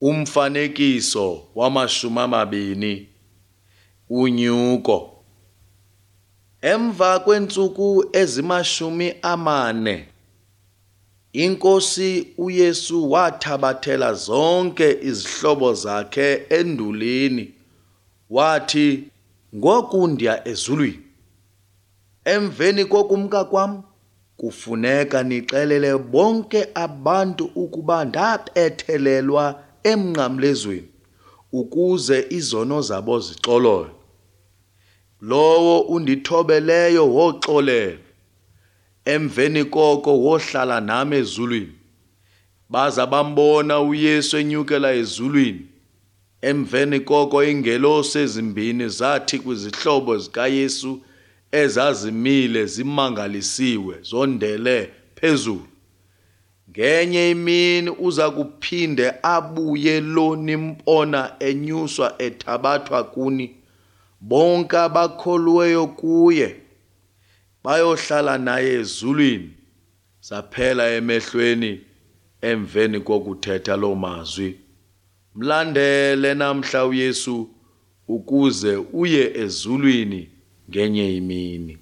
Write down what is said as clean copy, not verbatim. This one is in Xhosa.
Umfanekiso wamashumi amabini, unyuko. Emva kweentsuku ezimashumi amane, iNkosi uYesu wathabathela zonke izihlobo zakhe endulini, wathi, Ngoku ndiya ezulwini. Emveni kokumka kwam, kufuneka nixelele bonke abantu ukuba ndabethelelwa emnqamlezweni ukuze izono zabo zixolelwe. Lowo undithobeleyo woxolelwa, emveni koko wohlala nam ezulwini. Baza bambona uYesu enyukela ezulwini. Emveni koko iingelosi ezimbini zathi kwizihlobo zikaYesu ezazimile zimangalisiwe zondele phezulu, Ngenye imini uza kuphinde abuye lo nimbona enyuswa ethabathwa kuni, bonke abakholiweyo kuye bayohlala naye ezulwini. Zaphela emehlweni emveni kokuthetha loo mazwi. Mlandele namhla uYesu ukuze uye ezulwini ngenye imini.